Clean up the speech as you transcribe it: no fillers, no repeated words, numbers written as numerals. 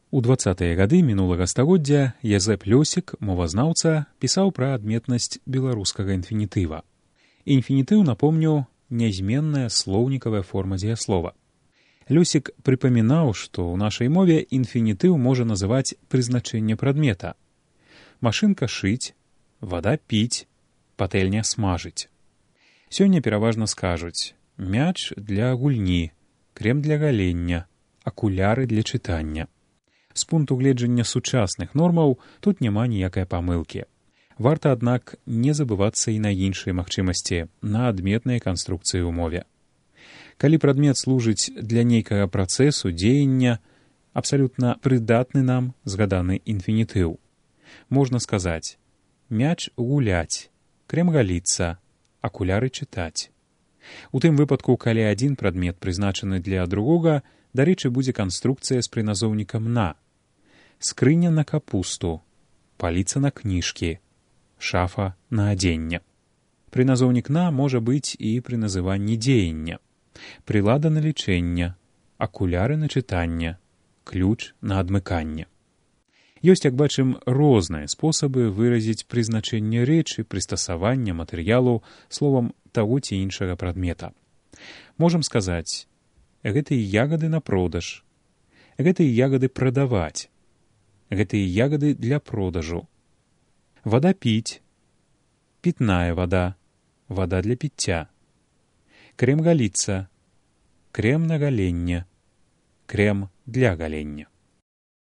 У 20-е гады мінулага стагоддзя Язэп Лёсік, мовазнаўца, пісаў пра адметнасць беларускага інфінітыва. Інфінітыў, напомню, нязменная слоўнікавая форма дзеяслова. Лёсік прыпамінаў, што ў нашай мове інфінітыў можа называць прызначэнне прадмета. Машынка шыць, вада піць, патэльня смажыць. Сёння пераважна скажуць мяч для гульні, крем для галення, акуляры для чытання. З пункту гледжання сучасных нормаў тут няма ніякай памылкі. Варта, аднак, не забывацца і на іншыя магчымасці, на адметныя канструкцыі ў мове. Калі прадмет служыць для нейкага працэсу, дзеяння, абсалютна прыдатны нам згаданы інфінітыў. Можна сказаць мяч гуляць, крем галіцца, акуляры чытаць. У тым выпадку, калі адзін прадмет прызначаны для другога, дарэчы, будзе канструкцыя з прыназоўнікам «на». Скрыня на капусту, паліца на кніжкі, шафа на адзенне. Прыназоўнік «на» можа быць і пры называнні дзеяння. Прылада на лічэнне, акуляры на чытанне, ключ на адмыканне. Ёсць, як бачым, розныя спосабы выразіць прызначэнне рэчы, прыстасавання матэрыялу, словам, таго ці іншага прадмета. Можам сказаць, гэтыя ягады на продаж, гэтыя ягады прадаваць, гэтыя ягады для продажу. Вада піць, пітная вада, вада для піцця. Крем галіцца, крем на галенне, крем для галення.